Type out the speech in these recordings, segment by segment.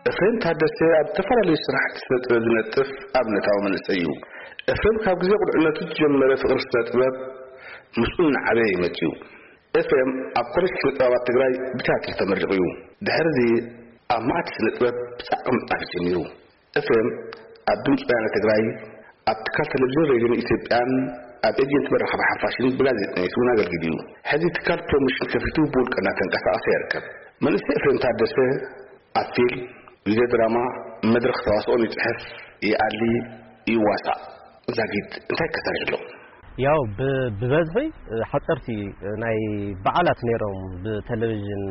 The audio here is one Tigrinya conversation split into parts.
ኤፍሬም ታደሰ ኣብ ዝተፈላለዩ ስራሕቲ ስነ ጥበብ ዝነጥፍ ኣብነታዊ መንእሰይ እዩ። ኤፍሬም ካብ ግዜ ቁልዕነቱ ዝጀመረ ፍቕሪ ስነ ጥበብ ምስኡ እናዓበየ ይመጽእ እዩ። ኤፍሬም ኣብ ኮሌጅ ስነ ጥበባት ትግራይ ብቲያትር ተመሪቑ እዩ። ድሕሪ እዚ ኣብ ማዕድ ስነ ጥበብ ብጻዕቂ ምጽናሕ ጀሚሩ። ኤፍሬም ኣብ ድምፂ ወያነ ትግራይ፣ ኣብ ትካል ቴሌቪዥን ሬድዮን ኢትዮጵያን ኣብ ኤጀንት መራኸቢ ሓፋሽን ብጋዜጠኝነት እውን ኣገልጊሉ እዩ። ሕዚ ትካል ፕሮሞሽን ከፊቱ ብውልቀ እናተንቀሳቐሰ ይርከብ። መንእሰይ ኤፍሬም ታደሰ ኣብ ፊልም፣ ቪድዮ ድራማ፣ መድረኽ ተዋስኦን ይፅሕፍ፣ ይኣሊ፣ ይዋሳእ። ዛጊት እንታይ ከሰርሕ ኣሎ? ያው ብ- ብበዝሒ ሓፀርቲ ናይ በዓላት ነይሮም ብቴሌቪዥን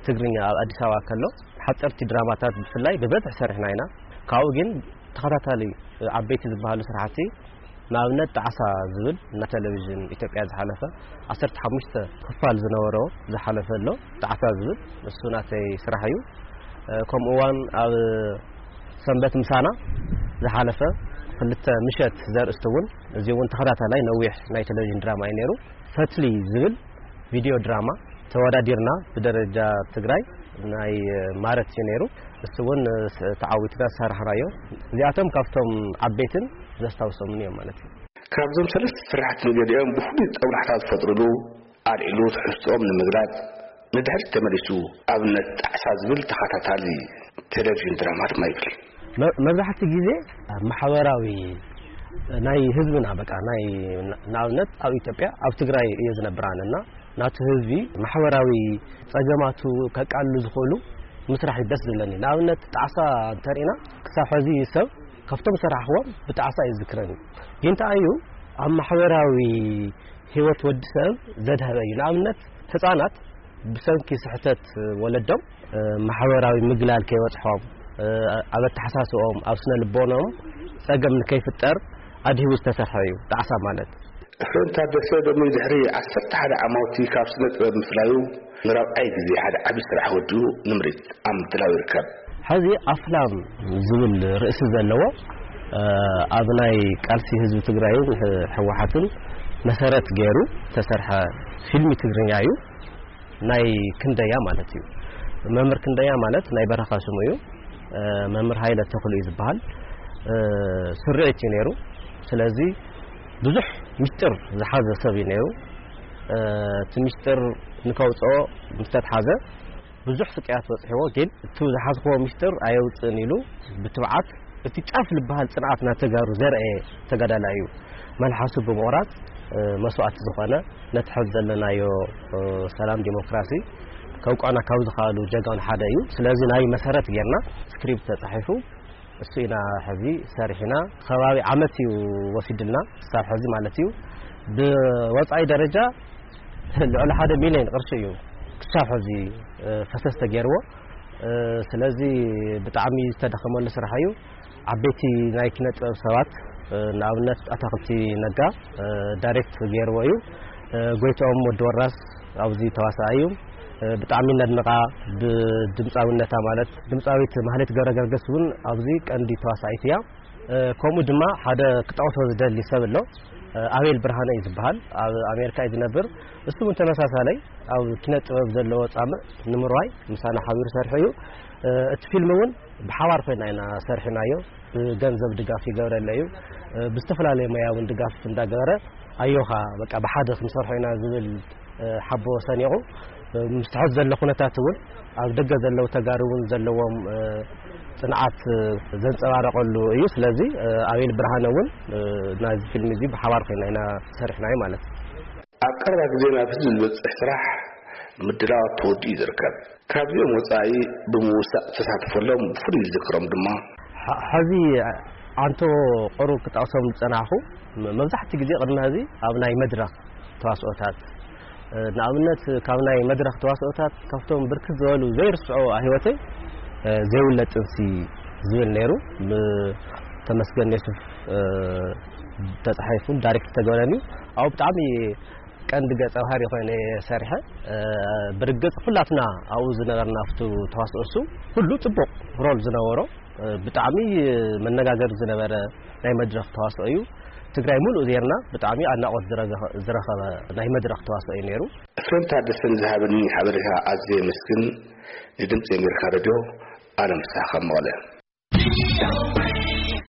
ትግርኛ ኣብ ኣዲስ ኣበባ ከሎ ሓፀርቲ ድራማታት ብፍላይ ብበዝሒ ሰሪሕና ኢና። ካብኡ ግን ተኸታታሊ ዓበይቲ ዝበሃሉ ስራሕቲ ንኣብነት ጣዕሳ ዝብል ናብ ቴሌቪዥን ኢትዮጵያ ዝሓለፈ ዓሰርተ ሓሙሽተ ክፋል ዝነበሮ ዝሓለፈ ኣሎ። ጣዕሳ ዝብል እሱ ናተይ ስራሕ እዩ። ከምኡ እዋን ኣብ ሰንበት ምሳና ዝሓለፈ ክልተ ምሸት ዘርእስቲ እውን እዚ እውን ተኸታታላይ ነዊሕ ናይ ቴሌቪዥን ድራማ እዩ ነይሩ። ፈትሊ ዝብል ቪድዮ ድራማ ተወዳዲርና ብደረጃ ትግራይ ናይ ማረት እዩ ነይሩ። እሱ እውን ተዓዊትና ዝሰራሕናዮ እዚኣቶም ካብቶም ዓበይትን ዘስታውሶምን እዮም ማለት እዩ። ካብዞም ሰለስተ ስራሕቲ ንገሊኦም ብፍሉይ ጦብላሕታ ዝፈጥሩሉ ኣልዒሉ ትሕዝትኦም ንምግላጽ ንድሕሪት ተመሊሱ ኣብነት ጣዕሳ ዝብል ተኸታታሊ ቴሌቪዥን ድራማ ድማ ይብል። መብዛሕቲ ግዜ ማሕበራዊ ናይ ህዝብና በቃ ናይ ንኣብነት ኣብ ኢትዮጵያ ኣብ ትግራይ እየ ዝነብር ኣነ እና ናቱ ህዝቢ ማሕበራዊ ጸገማቱ ከቃልሉ ዝኽእሉ ምስራሕ እዩ ደስ ዝብለኒ። ንኣብነት ጣዕሳ እንተሪእና ክሳብ ሕዚ ሰብ ካብቶም ሰራሕዎም ብጣዕሳ እዩ ዝዝክረኒ። ግን እንታይ እዩ ኣብ ማሕበራዊ ህይወት ወዲ ሰብ ዘድሀበ እዩ። ንኣብነት ህፃናት ብሰንኪ ስሕተት ወለዶም ማሕበራዊ ምግላል ከይበፅሖም ኣብ ኣተሓሳስኦም ኣብ ስነ ልቦኖም ፀገም ንከይፍጠር ኣድሂቡ ዝተሰርሐ እዩ ጣዕሳ ማለት። ኤፍሬም ታደሰ ሎሚ ድሕሪ ዓሰርተ ሓደ ዓማውቲ ካብ ስነ ጥበብ ምፍላዩ ንራብዓይ ግዜ ሓደ ዓቢ ስራሕ ወዲኡ ንምርኢት ኣብ ምድላው ይርከብ። ሕዚ ኣፍላም ዝብል ርእሲ ዘለዎ ኣብ ናይ ቃልሲ ህዝቢ ትግራይን ህወሓትን መሰረት ገይሩ ዝተሰርሐ ፊልሚ ትግርኛ እዩ። ናይ ክንደያ ማለት እዩ። መምህር ክንደያ ማለት ናይ በረኻ ስሙ እዩ። መምህር ሃይለ ተኽሉ እዩ ዝበሃል። ስርዒት እዩ ነይሩ። ስለዚ ብዙሕ ሚስጥር ዝሓዘ ሰብ እዩ ነይሩ። እቲ ሚስጥር ንከውፅኦ ምስ ተትሓዘ ብዙሕ ስቅያት በፅሕዎ፣ ግን እቲ ዝሓዝክዎ ሚስጥር ኣየውፅእን ኢሉ ብትብዓት እቲ ጫፍ ዝበሃል ፅንዓት ናይ ተጋሩ ዘርአየ ተጋዳላይ እዩ። መልሓሱ ብምቑራፅ መስዋእቲ ዝኾነ ነቲ ሕዚ ዘለናዮ ሰላም ዲሞክራሲ ከውቅዕና ካብ ዝኽኣሉ ጀጋኑ ሓደ እዩ። ስለዚ ናይ መሰረት ጌርና ስክሪፕት ተፃሒፉ እሱ ኢና ሕዚ ሰሪሕና ከባቢ ዓመት እዩ ወሲድልና ክሳብ ሕዚ ማለት እዩ። ብወፃኢ ደረጃ ልዕሊ ሓደ ሚሊዮን ቅርሺ እዩ ክሳብ ሕዚ ፈሰስ ተገይርዎ። ስለዚ ብጣዕሚ ዝተደኸመሉ ስራሕ እዩ። ዓበይቲ ናይ ኪነ ጥበብ ሰባት ንኣብነት ኣታክልቲ ነጋ ዳይሬክት ገይርዎ እዩ። ጎይትኦም ወዲ ወራስ ኣብዚ ተዋሳኣይ እዩ። ብጣዕሚ ነድንቓ ብድምፃዊነታ ማለት ድምፃዊት ማህሌት ገብረ ገርገስ እውን ኣብዚ ቀንዲ ተዋሳኢት እያ። ከምኡ ድማ ሓደ ክጠቕሶ ዝደሊ ሰብ ኣሎ። ኣቤል ብርሃነ እዩ ዝበሃል። ኣብ ኣሜሪካ እዩ ዝነብር። እሱ እውን ተመሳሳለይ ኣብ ኪነ ጥበብ ዘለዎ ፃምእ ንምርዋይ ምሳና ሓቢሩ ሰርሑ እዩ። እቲ ፊልም እውን ብሓባር ኮይና ኢና ሰርሕናዮ። ብገንዘብ ድጋፍ ይገብረለ እዩ። ብዝተፈላለየ መያ እውን ድጋፍ እንዳገበረ ኣዮኻ በቃ ብሓደ ክንሰርሖ ኢና ዝብል ሓቦ ሰኒቑ ምስ ትሕት ዘሎ ኩነታት እውን ኣብ ደገ ዘለዉ ተጋሩ እውን ዘለዎም ፅንዓት ዘንፀባረቐሉ እዩ። ስለዚ ኣቤል ብርሃነ እውን ናዚ ፊልም እዚ ብሓባር ኮይና ኢና ሰሪሕናዮ ማለት እዩ። ኣብ ቀረባ ግዜ ናብ ህዝቢ ዝበፅሕ ስራሕ ምድላዋት ተወዲኡ እዩ ዝርከብ። ካብዚኦም ወፃኢ ብምውሳእ ተሳትፎሎም ብፍሉይ ዝዝክሮም ድማ ሕዚ ኣንቶ ቅሩብ ክጠቕሶም ዝፀናሕኹ መብዛሕቲ ግዜ ቅድሚ ሕዚ ኣብ ናይ መድረኽ ተዋስኦታት ንኣብነት ካብ ናይ መድረኽ ተዋስኦታት ካብቶም ብርክት ዝበሉ ዘይርስዖ ኣህይወተይ ዘይውለድ ጥንሲ ዝብል ነይሩ። ተመስገን የሱፍ ተፃሒፉ ዳይሬክት ተገበረኒ። ኣብኡ ብጣዕሚ ቀንዲ ገፀ ባህሪ ኮይነ እየ ሰሪሐ። ብርግፅ ኩላትና ኣብኡ ዝነበርና ኣብቱ ተዋስኦ እሱ ኩሉ ፅቡቕ ሮል ዝነበሮ ብጣዕሚ መነጋገሪ ዝነበረ ናይ መድረኽ ተዋስኦ እዩ። ትግራይ ሙሉእ ዜርና ብጣዕሚ ኣድናቖት ዝረገኸ- ዝረኸበ ናይ መድረኽ ተዋስኦ እዩ ነይሩ። ኤፍሬም ታደሰ ንዝሃበኒ ሓበሬታ ኣዝየ የመስግን። ንድምፂ ኣሜሪካ ሬድዮ ኣለም ፍስሓ ካብ መቐለ።